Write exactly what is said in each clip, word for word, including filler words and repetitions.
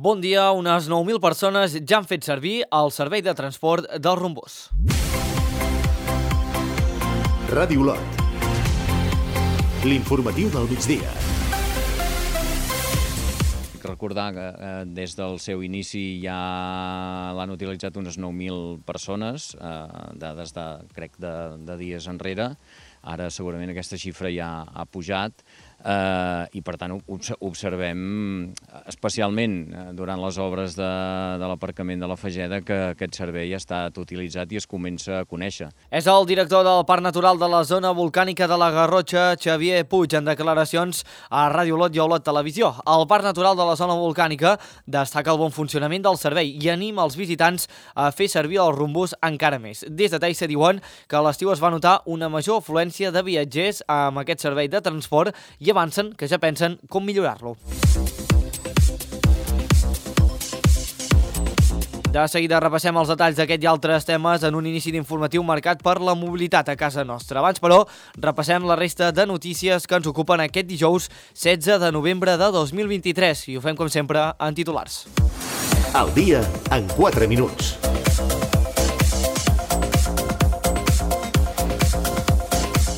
Bon dia, unes nou mil persones ja han fet servir el servei de transport del Rombós. Ràdio Lot. L'informatiu del migdia. Recordar que eh, des del seu inici ja l'han utilitzat unes nou mil persones, eh, dades de, crec, de, de dies enrere. Ara segurament aquesta xifra ja ha pujat eh, i per tant observem especialment durant les obres de, de l'aparcament de la Fageda que aquest servei ha estat utilitzat i es comença a conèixer. És el director del Parc Natural de la Zona Volcànica de la Garrotxa, Xavier Puig, en declaracions a Ràdio Lot i a Olot Televisió. El Parc Natural de la Zona Volcànica destaca el bon funcionament del servei i anima els visitants a fer servir el Rombós encara més. Des de Taissa diuen que a l'estiu es va notar una major afluència de viatgers amb aquest servei de transport i avancen que ja pensen com millorar-lo. De seguida repassem els detalls d'aquest i altres temes en un inici d'informatiu marcat per la mobilitat a casa nostra. Abans, però, repassem la resta de notícies que ens ocupen aquest dijous setze de novembre de dos mil vint-i-tres i ho fem, com sempre, en titulars. Al dia, en quatre minuts.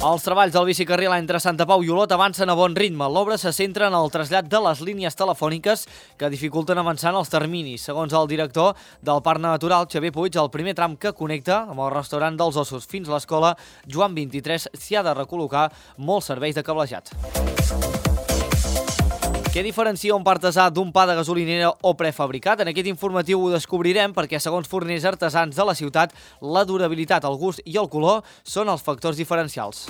Els treballs del bicicarril entre Santa Pau i Olot avancen a bon ritme. L'obra se centra en el trasllat de les línies telefòniques que dificulten avançar en els terminis. Segons el director del Parc Natural, Xavier Puig, el primer tram que connecta amb el restaurant dels Ossos fins a l'escola Joan vint-i-tres s'hi ha de recol·locar molts serveis de cablejat. Què diferencia un pa artesà d'un pa de gasolinera o prefabricat? En aquest informatiu ho descobrirem perquè, segons forners artesans de la ciutat, la durabilitat, el gust i el color són els factors diferencials.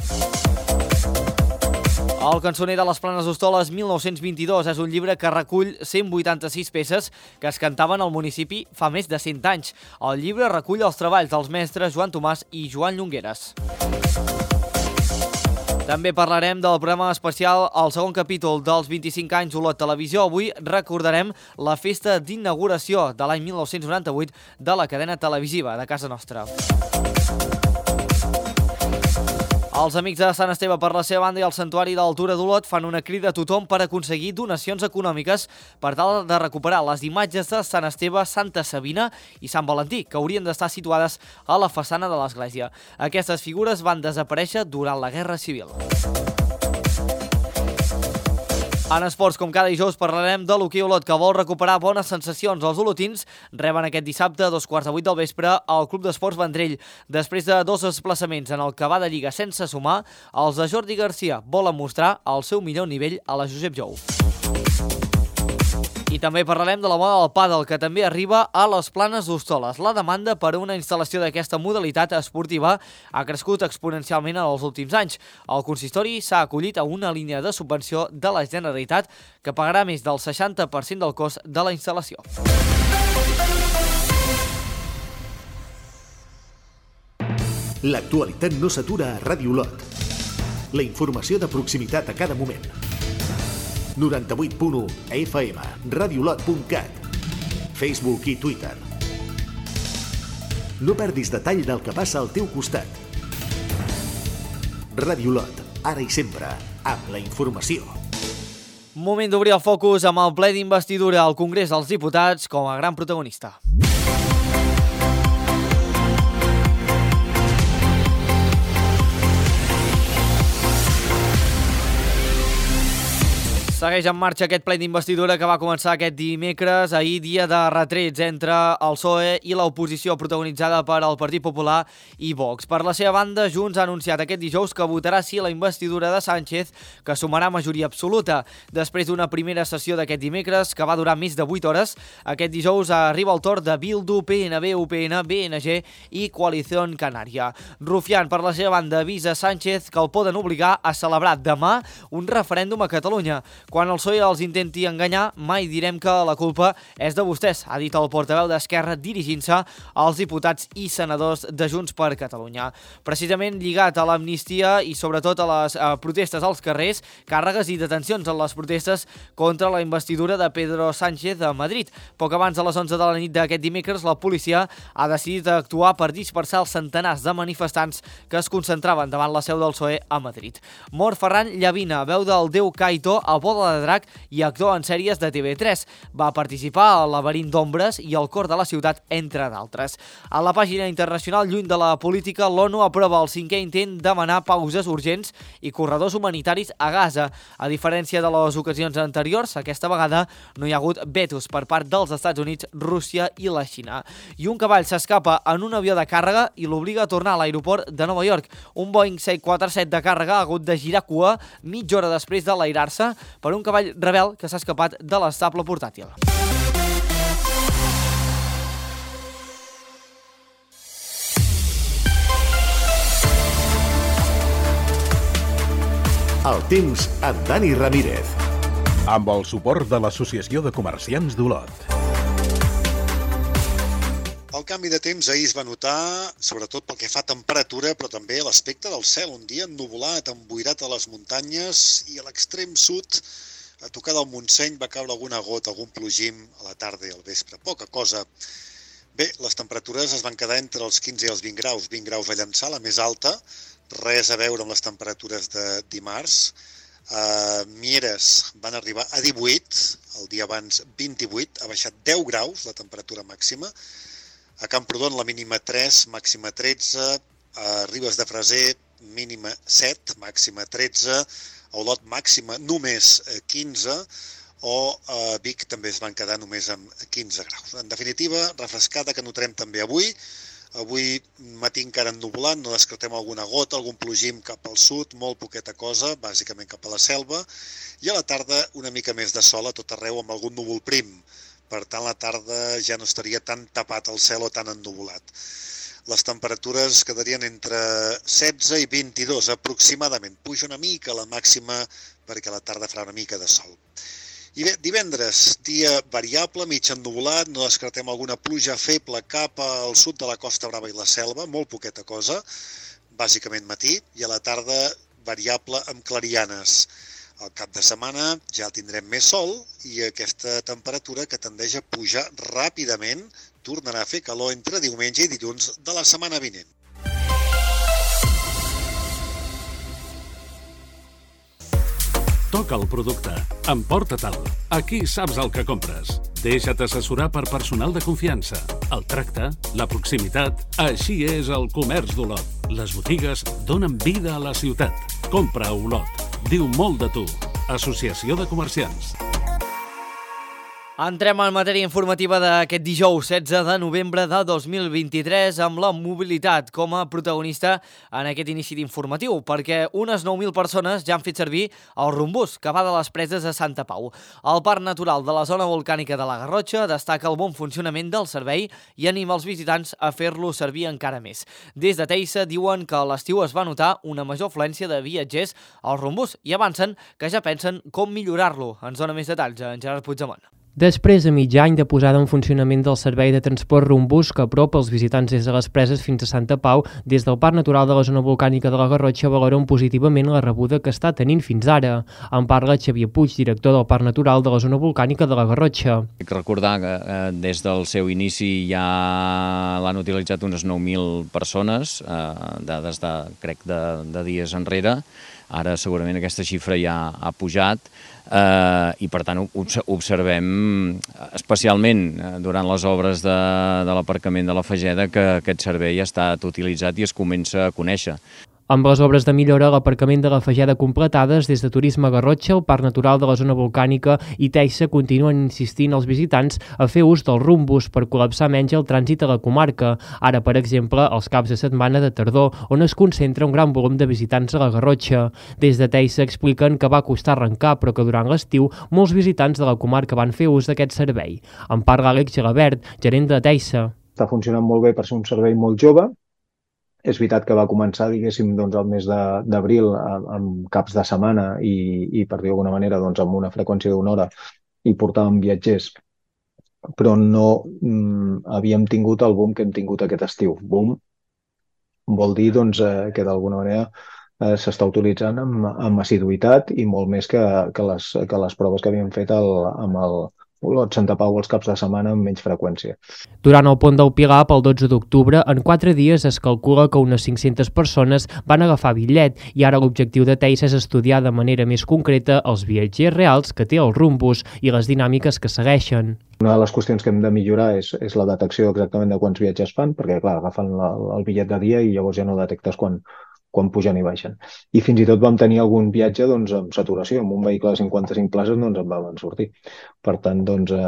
El cançoner de les Planes d'Hostoles mil nou-cents vint-i-dos és un llibre que recull cent vuitanta-sis peces que es cantaven al municipi fa més de cent anys. El llibre recull els treballs dels mestres Joan Tomàs i Joan Llongueres. També parlarem del programa especial al segon capítol dels vint-i-cinc anys Olot Televisió. Avui recordarem la festa d'inauguració de l'any mil nou-cents noranta-vuit de la cadena televisiva de casa nostra. Els amics de Sant Esteve, per la seva banda, i el Santuari d'Altura d'Olot fan una crida a tothom per aconseguir donacions econòmiques per tal de recuperar les imatges de Sant Esteve, Santa Sabina i Sant Valentí, que haurien d'estar situades a la façana de l'església. Aquestes figures van desaparèixer durant la Guerra Civil. En esports, com cada dijous, parlarem de l'hoquei Olot, que vol recuperar bones sensacions. Els olotins reben aquest dissabte a dos quarts de vuit del vespre al Club d'Esports Vendrell. Després de dos desplaçaments en el que va de Lliga sense sumar, els de Jordi Garcia volen mostrar el seu millor nivell a la Josep Jou. I també parlarem de la moda del pàdel, que també arriba a les Planes d'Hostoles. La demanda per a una instal·lació d'aquesta modalitat esportiva ha crescut exponencialment en els últims anys. El consistori s'ha acollit a una línia de subvenció de la Generalitat que pagarà més del seixanta per cent del cost de la instal·lació. L'actualitat no s'atura a Ràdio Lot. La informació de proximitat a cada moment. noranta-vuit punt u a F M, radiolot punt cat, Facebook i Twitter. No perdis detall del que passa al teu costat. Ràdio Lot, ara i sempre, amb la informació. Moment d'obrir el focus amb el ple d'investidura al Congrés dels Diputats com a gran protagonista. Segueix en marxa aquest ple d'investidura que va començar aquest dimecres, ahir dia de retrets entre el P S O E i l'oposició protagonitzada per el Partit Popular i Vox. Per la seva banda, Junts ha anunciat aquest dijous que votarà sí a la investidura de Sánchez, que sumarà majoria absoluta. Després d'una primera sessió d'aquest dimecres, que va durar més de vuit hores, aquest dijous arriba el torn de Bildu, P N B, U P N, B N G i Coalición Canaria. Rufián, per la seva banda, avisa Sánchez que el poden obligar a celebrar demà un referèndum a Catalunya. Quan el P S O E els intenti enganyar, mai direm que la culpa és de vostès, ha dit el portaveu d'Esquerra dirigint-se als diputats i senadors de Junts per Catalunya. Precisament lligat a l'amnistia i sobretot a les eh, protestes als carrers, càrregues i detencions en les protestes contra la investidura de Pedro Sánchez a Madrid. Poc abans de les onze de la nit d'aquest dimecres, la policia ha decidit actuar per dispersar els centenars de manifestants que es concentraven davant la seu del P S O E a Madrid. Mor Ferran Llavina, veu del déu Kaito, a bo de Escola de Drac i actor en sèries de T V tres. Va participar al Laberint d'Ombres i al Cor de la Ciutat, entre d'altres. A la pàgina internacional, lluny de la política, l'ONU aprova el cinquè intent de demanar pauses urgents i corredors humanitaris a Gaza. A diferència de les ocasions anteriors, aquesta vegada no hi ha hagut vetos per part dels Estats Units, Rússia i la Xina. I un cavall s'escapa en un avió de càrrega i l'obliga a tornar a l'aeroport de Nova York. Un Boeing set quaranta set de càrrega ha hagut de girar cua mitja hora després de l'airar-se per un cavall rebel que s'ha escapat de l'estable portàtil. El temps amb Dani Ramírez. Amb el suport de l'Associació de Comerciants d'Olot. El canvi de temps ahir es va notar, sobretot pel que fa a temperatura, però també a l'aspecte del cel. Un dia ennuvolat, emboirat a les muntanyes i a l'extrem sud, a tocar del Montseny, va caure alguna gota, algun plogim a la tarda i al vespre. Poca cosa. Bé, les temperatures es van quedar entre els quinze i els vint graus. vint graus a Llançà, la més alta, res a veure amb les temperatures de dimarts. A Mieres van arribar a divuit, el dia abans vint-i-vuit, ha baixat deu graus la temperatura màxima. A Camprodon la mínima tres, màxima tretze, a Ribes de Freser mínima set, màxima tretze, a Olot màxima només quinze, o a Vic també es van quedar només amb quinze graus. En definitiva, refrescada que notarem també avui. Avui matí encara ennuvolat, no descartem alguna gota, algun plogim cap al sud, molt poqueta cosa, bàsicament cap a la selva, i a la tarda una mica més de sol a tot arreu amb algun núvol prim. Per tant, la tarda ja no estaria tan tapat el cel o tan ennuvolat. Les temperatures quedarien entre setze i vint-i-dos aproximadament. Puja una mica la màxima perquè a la tarda farà una mica de sol. I bé, divendres, dia variable, mig ennuvolat, no descartem alguna pluja feble cap al sud de la Costa Brava i la Selva, molt poqueta cosa, bàsicament matí, i a la tarda variable amb clarianes. Al cap de setmana ja tindrem més sol i aquesta temperatura que tendeix a pujar ràpidament tornarà a fer calor entre diumenge i dilluns de la setmana vinent. Toca el producte. Emporta-te'l. Aquí saps el que compres. Deixa't assessorar per personal de confiança. El tracte, la proximitat... Així és el comerç d'Olot. Les botigues donen vida a la ciutat. Compra a Olot. Diu molt de tu. Associació de Comerciants. Entrem en matèria informativa d'aquest dijous setze de novembre de dos mil vint-i-tres amb la mobilitat com a protagonista en aquest inici d'informatiu, perquè unes nou mil persones ja han fet servir el rumbús que va de les preses a Santa Pau. El Parc Natural de la zona volcànica de la Garrotxa destaca el bon funcionament del servei i anima els visitants a fer-lo servir encara més. Des de Teissa diuen que a l'estiu es va notar una major afluència de viatgers al rumbús i avancen que ja pensen com millorar-lo. Ens dona més detalls en Gerard Puigdemont. Després de mig any de posada en funcionament del servei de transport rumbús que apropa els visitants des de les preses fins a Santa Pau, des del Parc Natural de la zona volcànica de la Garrotxa valoren positivament la rebuda que està tenint fins ara. En parla Xavier Puig, director del Parc Natural de la zona volcànica de la Garrotxa. Cal recordar que eh, des del seu inici ja l'han utilitzat unes nou mil persones, eh, dades de, crec, de, de dies enrere. Ara segurament aquesta xifra ja ha pujat eh, i per tant observem especialment durant les obres de, de l'aparcament de la Fageda que aquest servei ha estat utilitzat i es comença a conèixer. Amb les obres de millora a l'aparcament de la Fageda completades, des de Turisme Garrotxa, el Parc Natural de la zona volcànica i Teissa continuen insistint als visitants a fer ús del rumbús per col·lapsar menys el trànsit a la comarca. Ara, per exemple, els caps de setmana de tardor, on es concentra un gran volum de visitants a la Garrotxa. Des de Teissa expliquen que va costar arrencar, però que durant l'estiu molts visitants de la comarca van fer ús d'aquest servei. En parla Àlex Gelabert, gerent de Teissa. Està funcionant molt bé per ser un servei molt jove. És veritat que va començar, diguéssim, doncs, el mes d'abril amb caps de setmana i, i per dir d'alguna manera, doncs, amb una freqüència d'una hora i portàvem viatgers, però no mm, havíem tingut el boom que hem tingut aquest estiu. Boom vol dir doncs, eh, que d'alguna manera eh, s'està utilitzant amb, amb assiduïtat i molt més que, que, les, que les proves que havíem fet el, amb, el, Olot, Santa Pau els caps de setmana amb menys freqüència. Durant el pont del Pilar, pel dotze d'octubre, en quatre dies es calcula que unes cinc-centes persones van agafar bitllet i ara l'objectiu de Teixa és estudiar de manera més concreta els viatgers reals que té el Rumbus i les dinàmiques que segueixen. Una de les qüestions que hem de millorar és, és la detecció exactament de quants viatges fan, perquè clar, agafen la, el bitllet de dia i llavors ja no detectes quan, quan pugen i baixen. I fins i tot vam tenir algun viatge doncs, amb saturació, amb un vehicle de cinquanta-cinc places doncs en vam sortir. Per tant, doncs, eh,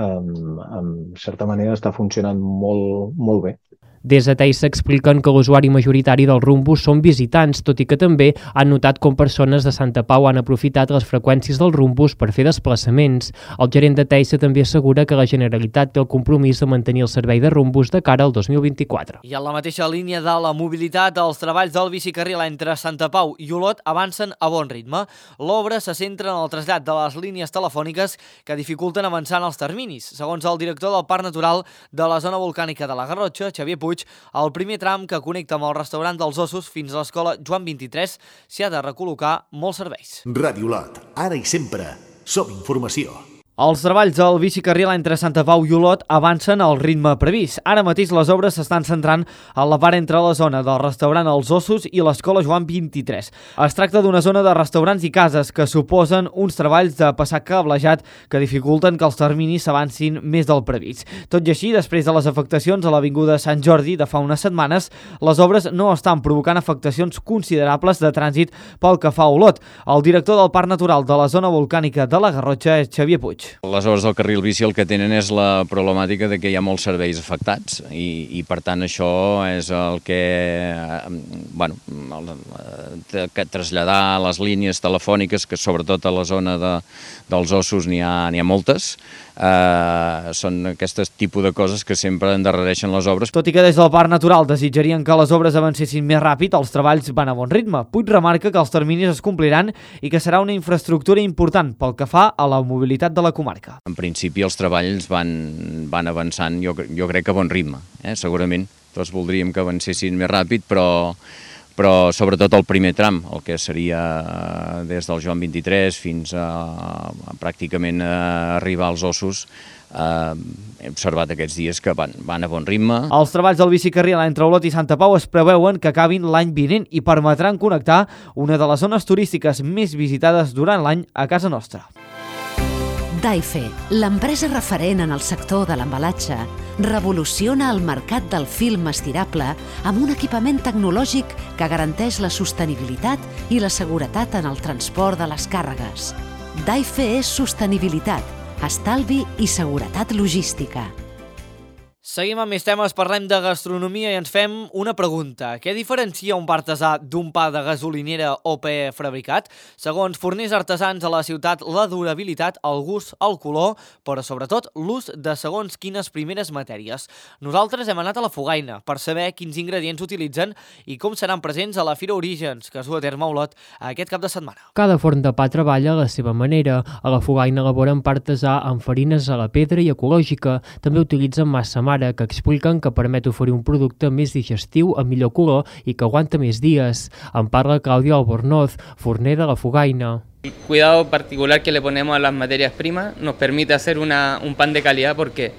eh, en certa manera està funcionant molt, molt bé. Des de Teixa expliquen que l'usuari majoritari del Rumbus són visitants, tot i que també han notat com persones de Santa Pau han aprofitat les freqüències del Rumbus per fer desplaçaments. El gerent de Teixa també assegura que la Generalitat té el compromís de mantenir el servei de Rumbus de cara al dos mil vint-i-quatre. I en la mateixa línia de la mobilitat, els treballs del bicicarril entre Santa Pau i Olot avancen a bon ritme. L'obra se centra en el trasllat de les línies telefòniques que dificulten avançar en els terminis. Segons el director del Parc Natural de la zona volcànica de la Garrotxa, Xavier Puig, el primer tram que connecta amb el restaurant dels Ossos fins a l'escola Joan vint-i-tres s'hi ha de recol·locar molts serveis. Ràdio Olot, ara i sempre, som informació. Els treballs del bicicarril entre Santa Pau i Olot avancen al ritme previst. Ara mateix les obres s'estan centrant en la part entre la zona del restaurant Els Ossos i l'escola Joan vint-i-tres. Es tracta d'una zona de restaurants i cases que suposen uns treballs de passar cablejat que dificulten que els terminis s'avancin més del previst. Tot i així, després de les afectacions a l'avinguda Sant Jordi de fa unes setmanes, les obres no estan provocant afectacions considerables de trànsit pel que fa a Olot. El director del Parc Natural de la zona volcànica de la Garrotxa és Xavier Puig. Les obres del carril bici el que tenen és la problemàtica de que hi ha molts serveis afectats i, i per tant això és el que, bueno, el, que traslladar les línies telefòniques, que sobretot a la zona de, dels Ossos n'hi ha, n'hi ha moltes, eh, són aquests tipus de coses que sempre endarrereixen les obres. Tot i que des del Parc Natural desitjarien que les obres avancessin més ràpid, els treballs van a bon ritme. Puig remarca que els terminis es compliran i que serà una infraestructura important pel que fa a la mobilitat de la comarca. En principi els treballs van, van avançant, jo, jo crec que a bon ritme, eh? Segurament tots voldríem que avancessin més ràpid, però, però sobretot el primer tram, el que seria des del Joan vint-i-tres fins a, a pràcticament a arribar als Ossos, eh, hem observat aquests dies que van, van a bon ritme. Els treballs del bicicarril entre Olot i Santa Pau es preveuen que acabin l'any vinent i permetran connectar una de les zones turístiques més visitades durant l'any a casa nostra. Daife, l'empresa referent en el sector de l'embalatge, revoluciona el mercat del film estirable amb un equipament tecnològic que garanteix la sostenibilitat i la seguretat en el transport de les càrregues. Daife és sostenibilitat, estalvi i seguretat logística. Seguim amb més temes, parlem de gastronomia i ens fem una pregunta. Què diferencia un pa artesà d'un pa de gasolinera o prefabricat? Segons forners artesans a la ciutat, la durabilitat, el gust, el color, però sobretot l'ús de segons quines primeres matèries. Nosaltres hem anat a la Fogaina per saber quins ingredients utilitzen i com seran presents a la Fira Orígens, que es du a terme a Olot aquest cap de setmana. Cada forn de pa treballa a la seva manera. A la Fogaina elaboren pa artesà amb farines a la pedra i ecològica. També utilitzen massa mare, que expliquen que permet oferir un producte més digestiu, amb millor color i que aguanta més dies. En parla Claudio Albornoz, forner de la Fogaina. El cuidado particular que le ponemos a las materias primas nos permite hacer una, un pan de calidad porque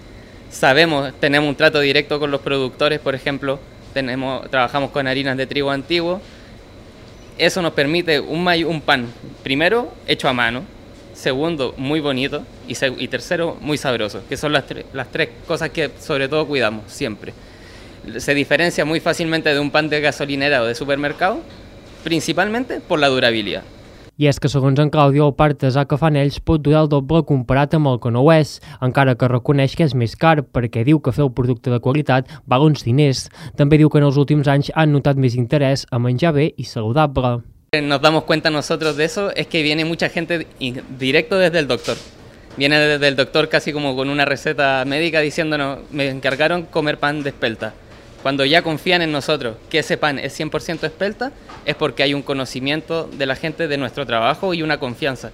sabemos, tenemos un trato directo con los productores, por ejemplo, tenemos, trabajamos con harinas de trigo antiguo. Eso nos permite un, un pan, primero, hecho a mano, segundo, muy bonito y, y tercero, muy sabroso, que son las, tre las tres cosas que sobre todo cuidamos siempre. Se diferencia muy fácilmente de un pan de gasolinera o de supermercado, principalmente por la durabilidad. I és que, segons en Claudio, el pa artesà que fan ells pot durar el doble comparat amb el que no ho és, encara que reconeix que és més car, perquè diu que fer el producte de qualitat val uns diners. També diu que en els últims anys han notat més interès a menjar bé i saludable. Nos damos cuenta nosotros de eso, es que viene mucha gente directo desde el doctor. Viene desde el doctor casi como con una receta médica diciéndonos, me encargaron comer pan de espelta. Cuando ya confían en nosotros que ese pan es cien por ciento espelta, es porque hay un conocimiento de la gente de nuestro trabajo y una confianza.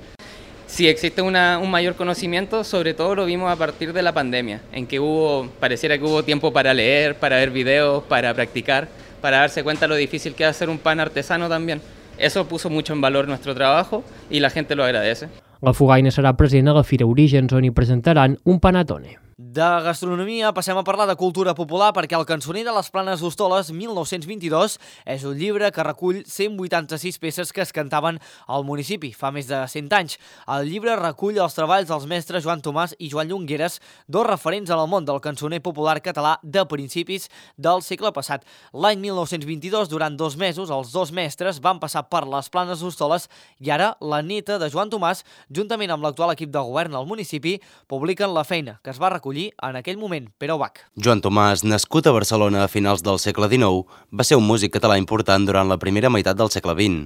Si existe una, un mayor conocimiento, sobre todo lo vimos a partir de la pandemia, en que hubo, pareciera que hubo tiempo para leer, para ver videos, para practicar, para darse cuenta lo difícil que es hacer un pan artesano también. Eso puso mucho en valor nuestro trabajo y la gente lo agradece. La Fugaina serà present a la Fira Orígens, on hi presentaran un panatone. De gastronomia passem a parlar de cultura popular perquè el Cançoner de les Planes d'Hostoles mil nou-cents vint-i-dos és un llibre que recull cent vuitanta-sis peces que es cantaven al municipi fa més de cent anys. El llibre recull els treballs dels mestres Joan Tomàs i Joan Llongueres, dos referents en el món del cançoner popular català de principis del segle passat. L'any mil nou-cents vint-i-dos, durant dos mesos, els dos mestres van passar per les Planes d'Hostoles i ara la neta de Joan Tomàs, juntament amb l'actual equip de govern al municipi, publiquen la feina que es va recollir en aquell moment. Pere Ubach. Joan Tomàs, nascut a Barcelona a finals del segle dinou, va ser un músic català important durant la primera meitat del segle vint.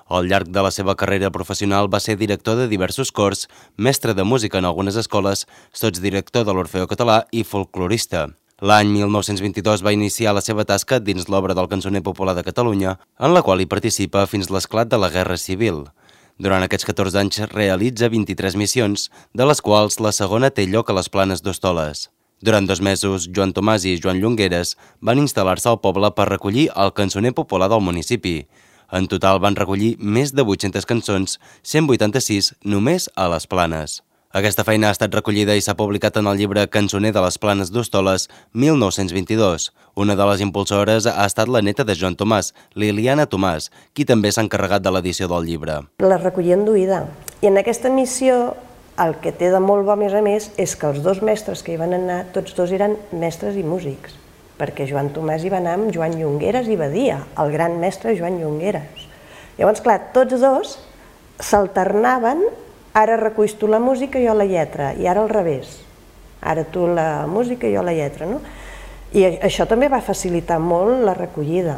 Al llarg de la seva carrera professional va ser director de diversos cors, mestre de música en algunes escoles, sotsdirector de l'Orfeó Català i folclorista. L'any mil nou-cents vint-i-dos va iniciar la seva tasca dins l'obra del Cançoner Popular de Catalunya, en la qual hi participa fins l'esclat de la Guerra Civil. Durant aquests catorze anys realitza vint-i-tres missions, de les quals la segona té lloc a les Planes d'Hostoles. Durant dos mesos, Joan Tomàs i Joan Llongueres van instal·lar-se al poble per recollir el cançoner popular del municipi. En total van recollir més de vuit-centes cançons, cent vuitanta-sis només a les Planes. Aquesta feina ha estat recollida i s'ha publicat en el llibre Cançoner de les Planes d'Hostoles mil nou-cents vint-i-dos. Una de les impulsores ha estat la neta de Joan Tomàs, Liliana Tomàs, qui també s'ha encarregat de l'edició del llibre. La recollien d'oïda. I en aquesta missió el que té de molt bo, a més a més, és que els dos mestres que hi van anar, tots dos eren mestres i músics, perquè Joan Tomàs hi va anar amb Joan Llongueres i Badia, el gran mestre Joan Llongueres. Llavors, clar, tots dos s'alternaven. Ara reculls tu la música i jo la lletra, i ara al revés. Ara tu la música i jo la lletra, no? I això també va facilitar molt la recollida.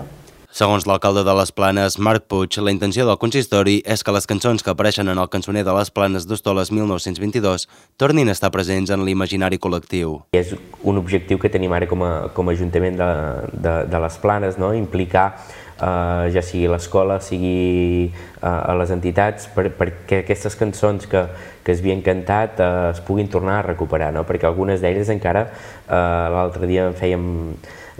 Segons l'alcalde de les Planes, Marc Puig, la intenció del consistori és que les cançons que apareixen en el Cançoner de les Planes d'Hostoles mil nou-cents vint-i-dos tornin a estar presents en l'imaginari col·lectiu. És un objectiu que tenim ara com a, com a Ajuntament de, de, de les Planes, no? Implicar Uh, ja sigui l'escola, sigui uh, a les entitats, per, perquè aquestes cançons que, que es havien cantat uh, es puguin tornar a recuperar, no? Perquè algunes d'elles encara, uh, l'altre dia en fèiem,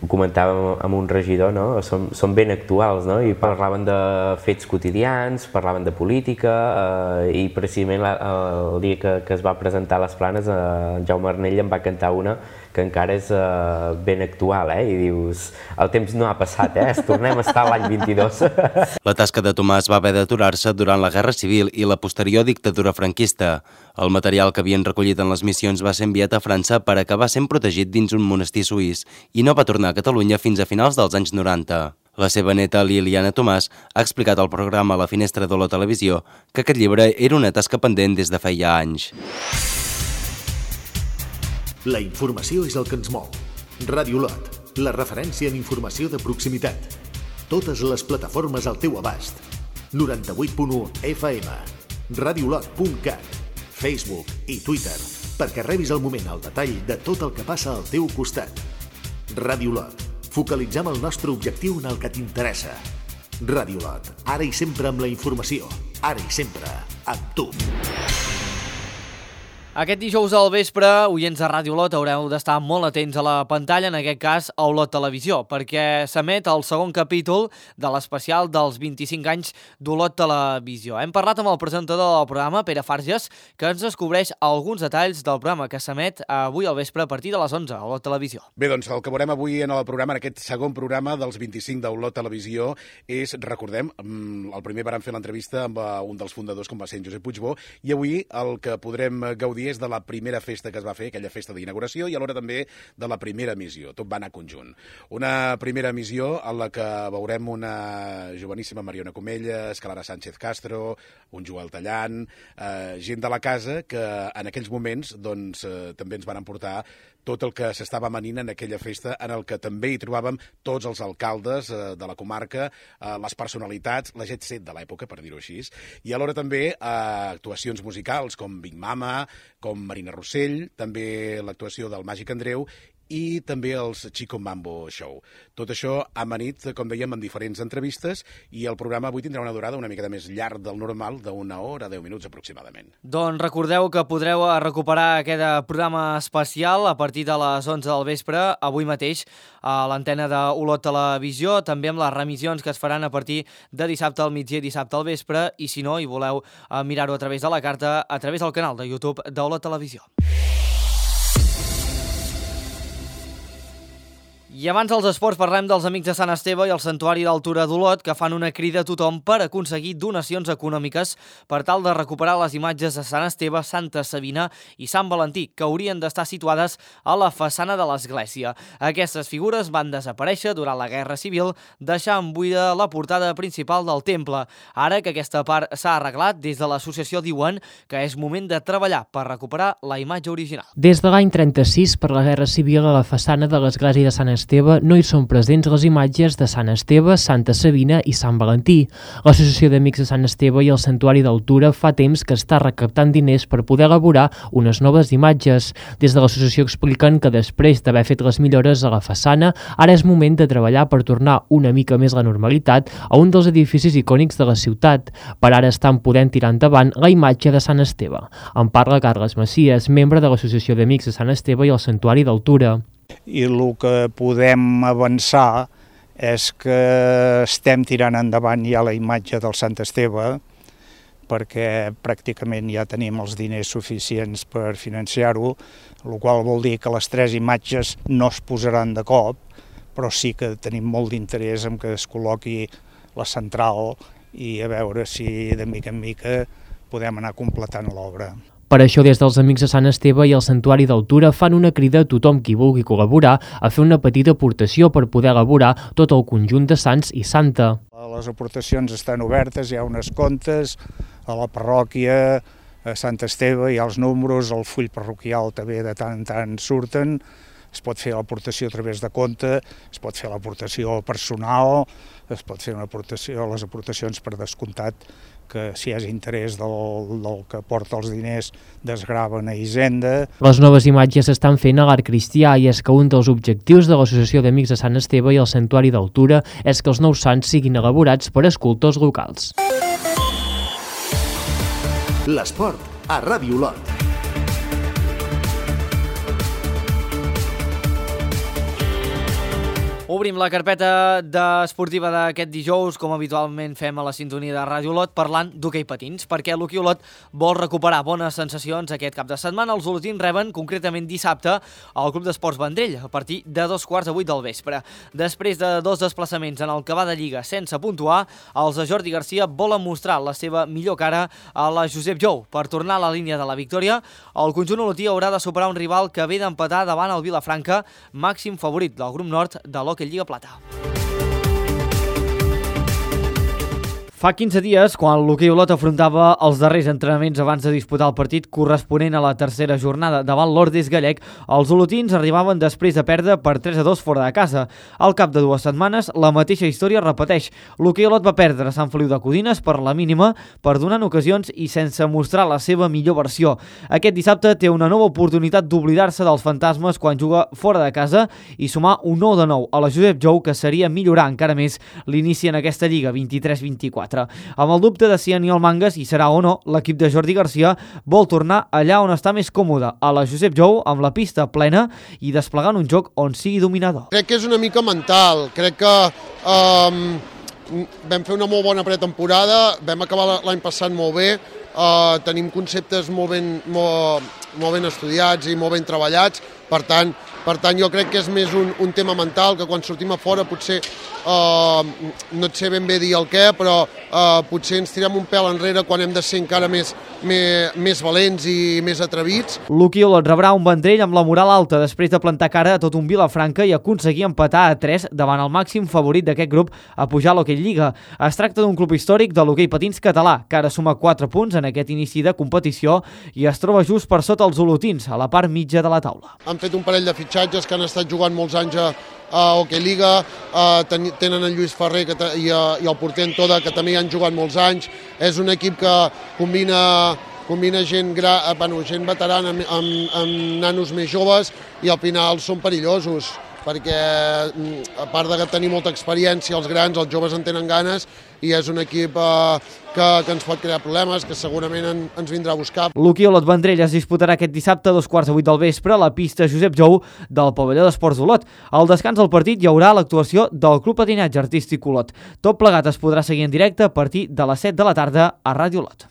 ho comentàvem amb un regidor, no? Són, són ben actuals, no? I parlaven de fets quotidians, parlaven de política, uh, i precisament la, el dia que, que es va presentar a les Planes, uh, en Jaume Arnell en va cantar una que encara és uh, ben actual, eh? I dius, el temps no ha passat, eh? Es tornem a estar a l'any vint-i-dos. La tasca de Tomàs va haver d'aturar-se durant la Guerra Civil i la posterior dictadura franquista. El material que havien recollit en les missions va ser enviat a França per acabar sent protegit dins un monestir suís i no va tornar a Catalunya fins a finals dels anys noranta. La seva neta, Liliana Tomàs, ha explicat al programa La Finestra de la Televisió que aquest llibre era una tasca pendent des de feia anys. La informació és el que ens mou. Ràdio Lot, la referència en informació de proximitat. Totes les plataformes al teu abast. noranta-vuit punt u F M, radiolot punt cat, Facebook i Twitter, perquè rebis al moment el detall de tot el que passa al teu costat. Ràdio Lot, focalitzem el nostre objectiu en el que t'interessa. Ràdio Lot, ara i sempre amb la informació, ara i sempre amb tu. Aquest dijous al vespre, oients de Ràdio Olot, haureu d'estar molt atents a la pantalla, en aquest cas a Olot Televisió, perquè s'emet el segon capítol de l'especial dels vint-i-cinc anys d'Olot Televisió. Hem parlat amb el presentador del programa, Pere Farges, que ens descobreix alguns detalls del programa que s'emet avui al vespre a partir de les onze a Olot Televisió. Bé, doncs el que veurem avui en el programa, en aquest segon programa dels vint-i-cinc d'Olot Televisió, és, recordem, el primer vàrem fer l'entrevista amb un dels fundadors, com va ser en Josep Puigbó, i avui el que podrem gaudir és de la primera festa que es va fer, aquella festa d'inauguració, i alhora també de la primera missió. Tot va anar conjunt. Una primera missió en la que veurem una joveníssima Mariona Comelles, Clara Sánchez Castro, un Joel Tallant, eh, gent de la casa que en aquells moments doncs, eh, també ens van emportar tot el que s'estava amanint en aquella festa, en el que també hi trobàvem tots els alcaldes eh, de la comarca, eh, les personalitats, la jet set de l'època, per dir-ho així, i alhora també eh, actuacions musicals com Big Mama, com Marina Rossell, també l'actuació del Màgic Andreu i també els Chico Mambo Show. Tot això amanit, com dèiem, en diferents entrevistes, i el programa avui tindrà una durada una mica més llarg del normal, d'una hora, deu minuts aproximadament. Doncs recordeu que podreu recuperar aquest programa especial a partir de les onze del vespre, avui mateix, a l'antena d'Olot Televisió, també amb les remissions que es faran a partir de dissabte al migdia i dissabte al vespre, i si no, hi voleu mirar-ho a través de la carta, a través del canal de YouTube d'Olot Televisió. I abans dels esports parlem dels Amics de Sant Esteve i el Santuari d'Altura d'Olot, que fan una crida a tothom per aconseguir donacions econòmiques per tal de recuperar les imatges de Sant Esteve, Santa Sabina i Sant Valentí, que haurien d'estar situades a la façana de l'església. Aquestes figures van desaparèixer durant la Guerra Civil, deixant buida la portada principal del temple. Ara que aquesta part s'ha arreglat, des de l'associació diuen que és moment de treballar per recuperar la imatge original. Des de l'any trenta-sis, per la Guerra Civil, a la façana de l'església de Sant Esteve Esteve no hi són presents les imatges de Sant Esteve, Santa Sabina i Sant Valentí. L'Associació d'Amics de Sant Esteve i el Santuari d'Altura fa temps que està recaptant diners per poder elaborar unes noves imatges. Des de l'associació expliquen que després d'haver fet les millores a la façana, ara és moment de treballar per tornar una mica més la normalitat a un dels edificis icònics de la ciutat. Per ara estan podent tirar endavant la imatge de Sant Esteve. En parla Carles Macias, membre de l'Associació d'Amics de Sant Esteve i el Santuari d'Altura. I el que podem avançar és que estem tirant endavant ja la imatge del Sant Esteve, perquè pràcticament ja tenim els diners suficients per financiar-ho, el qual vol dir que les tres imatges no es posaran de cop, però sí que tenim molt d'interès en que es col·loqui la central i a veure si de mica en mica podem anar completant l'obra. Per això, des dels Amics de Sant Esteve i el Santuari d'Altura fan una crida a tothom qui vulgui col·laborar a fer una petita aportació per poder elaborar tot el conjunt de Sants i Santa. Les aportacions estan obertes, hi ha unes comptes a la parròquia, a Sant Esteve, hi ha els números, el full parroquial també de tant en tant surten, es pot fer l'aportació a través de compte, es pot fer l'aportació personal, es pot fer una aportació, les aportacions per descomptat, que si hi ha interès del, del que porta els diners desgraven a Hisenda. Les noves imatges s'estan fent a l'Art Cristià i és que un dels objectius de l'Associació d'Amics de Sant Esteve i el Santuari d'Altura és que els nous sants siguin elaborats per escultors locals. L'esport a Ràdio Olot. Obrim la carpeta esportiva d'aquest dijous, com habitualment fem a la sintonia de Ràdio Olot, parlant d'hoquei patins, perquè l'Hoquei Olot vol recuperar bones sensacions aquest cap de setmana. Els olotins reben concretament dissabte al Club d'Esports Vendrell, a partir de dos quarts de vuit del vespre. Després de dos desplaçaments en el que va de Lliga sense puntuar, els de Jordi Garcia volen mostrar la seva millor cara a la Josep Jou. Per tornar a la línia de la victòria, el conjunt olotí haurà de superar un rival que ve d'empatar davant el Vilafranca, màxim favorit del grup nord de l'Hoquei Lliga Plata. Fa quinze dies, quan l'Hoquei Olot afrontava els darrers entrenaments abans de disputar el partit corresponent a la tercera jornada davant l'Ordes Gallec, els olotins arribaven després de perdre per tres a dos fora de casa. Al cap de dues setmanes, la mateixa història repeteix. L'Hoquei Olot va perdre a Sant Feliu de Codines per la mínima, per donant ocasions i sense mostrar la seva millor versió. Aquest dissabte té una nova oportunitat d'oblidar-se dels fantasmes quan juga fora de casa i sumar un nou de nou a la Josep Jou, que seria millorar encara més l'inici en aquesta Lliga vint-i-tres vint-i-quatre. Amb el dubte de si Aniol Mangas hi serà o no, l'equip de Jordi Garcia vol tornar allà on està més còmode, a la Josep Jou, amb la pista plena i desplegant un joc on sigui dominador. Crec que és una mica mental, crec que um, vam fer una molt bona pretemporada, vam acabar l'any passat molt bé, uh, tenim conceptes molt ben, molt, molt ben estudiats i molt ben treballats, per tant, per tant jo crec que és més un, un tema mental, que quan sortim a fora potser uh, no et sé ben bé dir el què, però uh, potser ens tirem un pèl enrere quan hem de ser encara més, més, més valents i més atrevits. L'Hoquei Olot rebrà un Vendrell amb la moral alta després de plantar cara a tot un Vilafranca i aconseguir empatar a tres davant el màxim favorit d'aquest grup a pujar a l'Hoquei Lliga. Es tracta d'un club històric de l'hoquei patins català, que ara suma quatre punts en aquest inici de competició i es troba just per sota els olotins, a la part mitja de la taula. Han fet un parell de fitxatges que han estat jugant molts anys a, a Hoquei Lliga, uh, ten, tenen en Lluís Ferrer que i, uh, i el porter Toda, que també hi han jugat molts anys. És un equip que combina combina gent, gra, bueno, gent veterana amb, amb, amb nanos més joves i al final són perillosos, perquè a part de tenir molta experiència, els grans, els joves en tenen ganes i és un equip eh, que, que ens pot crear problemes, que segurament en, ens vindrà a buscar. L'Hoquei Olot Vendrell es disputarà aquest dissabte a dos quarts de vuit del vespre a la pista Josep Jou del pavelló d'Esports d'Olot. Al descans del partit hi haurà l'actuació del Club Patinatge Artístic Olot. Tot plegat es podrà seguir en directe a partir de les set de la tarda a Ràdio Olot.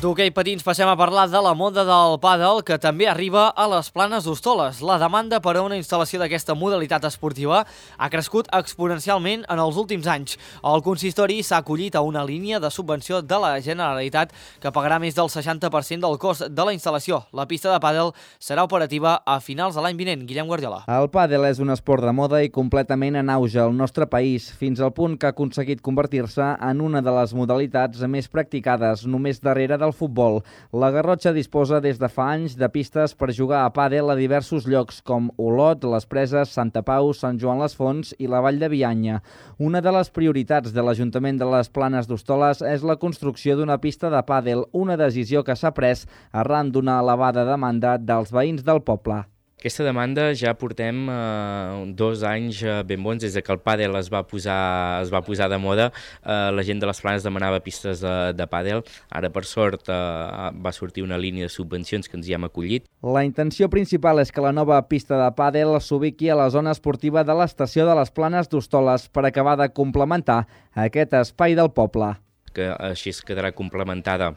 D'hoquei patins passem a parlar de la moda del pàdel, que també arriba a les Planes d'Hostoles. La demanda per a una instal·lació d'aquesta modalitat esportiva ha crescut exponencialment en els últims anys. El consistori s'ha acollit a una línia de subvenció de la Generalitat que pagarà més del seixanta per cent del cost de la instal·lació. La pista de pàdel serà operativa a finals de l'any vinent. Guillem Guardiola. El pàdel és un esport de moda i completament en auge al nostre país, fins al punt que ha aconseguit convertir-se en una de les modalitats més practicades, només darrere del futbol. La Garrotxa disposa des de fa anys de pistes per jugar a pàdel a diversos llocs com Olot, Les Preses, Santa Pau, Sant Joan les Fonts i la Vall de Bianya. Una de les prioritats de l'Ajuntament de les Planes d'Hostoles és la construcció d'una pista de pàdel, una decisió que s'ha pres arran d'una elevada demanda dels veïns del poble. Aquesta demanda ja portem eh, dos anys eh, ben bons, des que el pàdel es va posar, es va posar de moda. Eh, la gent de les Planes demanava pistes de, de pàdel. Ara, per sort, eh, va sortir una línia de subvencions que ens hi hem acollit. La intenció principal és que la nova pista de pàdel s'ubiqui a la zona esportiva de l'estació de les Planes d'Hostoles per acabar de complementar aquest espai del poble. Que així es quedarà complementada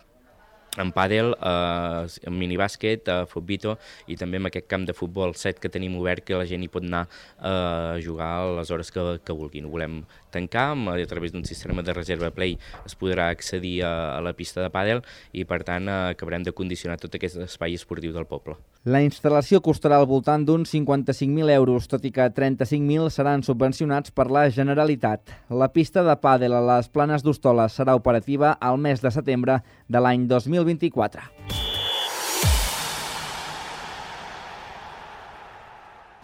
en pàdel, eh, en minibàsquet, eh, futbito i també amb aquest camp de futbol set que tenim obert que la gent hi pot anar eh, a jugar a les hores que, que vulguin. Ho volem tancar, a través d'un sistema de reserva Play es podrà accedir a, a la pista de pàdel i per tant eh, acabarem de condicionar tot aquest espai esportiu del poble. La instal·lació costarà al voltant d'uns cinquanta-cinc mil euros, tot i que trenta-cinc mil seran subvencionats per la Generalitat. La pista de pàdel a les Planes d'Hostoles serà operativa al mes de setembre de l'any dos mil vint-i-quatre.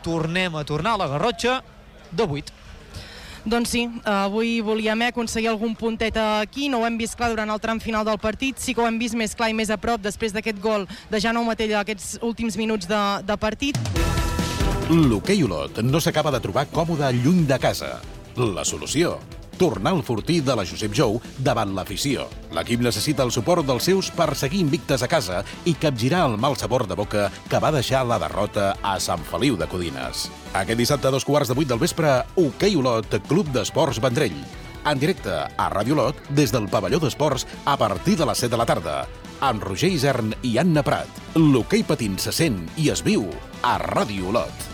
Tornem a tornar a la Garrotxa de vuit. Doncs sí, avui volíem aconseguir algun puntet aquí, no ho hem vist clar durant el tram final del partit, sí que ho hem vist més clar i més a prop després d'aquest gol de Jaume Matella aquests últims minuts de, de partit. L'Hoquei Olot no s'acaba de trobar còmode lluny de casa. La solució: tornar al fortí de la Josep Jou davant l'afició. L'equip necessita el suport dels seus per seguir invictes a casa i capgirar el mal sabor de boca que va deixar la derrota a Sant Feliu de Codines. Aquest dissabte a dos quarts de vuit del vespre, Hoquei Olot, Club d'Esports Vendrell. En directe a Ràdio Olot des del pavelló d'esports a partir de les set de la tarda. Amb Roger Isern i Anna Prat. L'hoquei patins se sent i es viu a Ràdio Olot.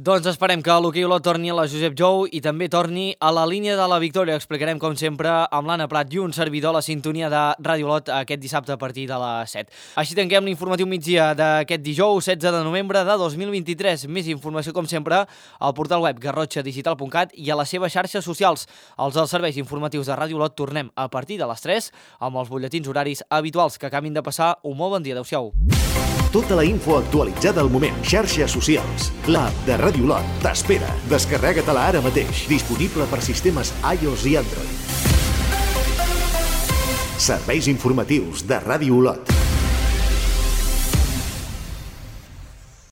Doncs esperem que l'Hoquei Olot torni a la Josep Jou i també torni a la línia de la victòria. Explicarem, com sempre, amb l'Anna Prat i un servidor la sintonia de Ràdio Olot aquest dissabte a partir de les set. Així tanquem l'informatiu migdia d'aquest dijous, setze de novembre de dos mil vint-i-tres. Més informació, com sempre, al portal web garrotxa digital punt cat i a les seves xarxes socials. Els dels serveis informatius de Ràdio Olot tornem a partir de les tres amb els butlletins horaris habituals. Que acabin de passar un molt bon dia. Adéu-siau. Tota la info actualitzada al moment. Xarxes socials. L'app de Ràdio Olot t'espera. Descarrega-te-la ara mateix. Disponible per sistemes iOS i Android. Serveis informatius de Ràdio Olot.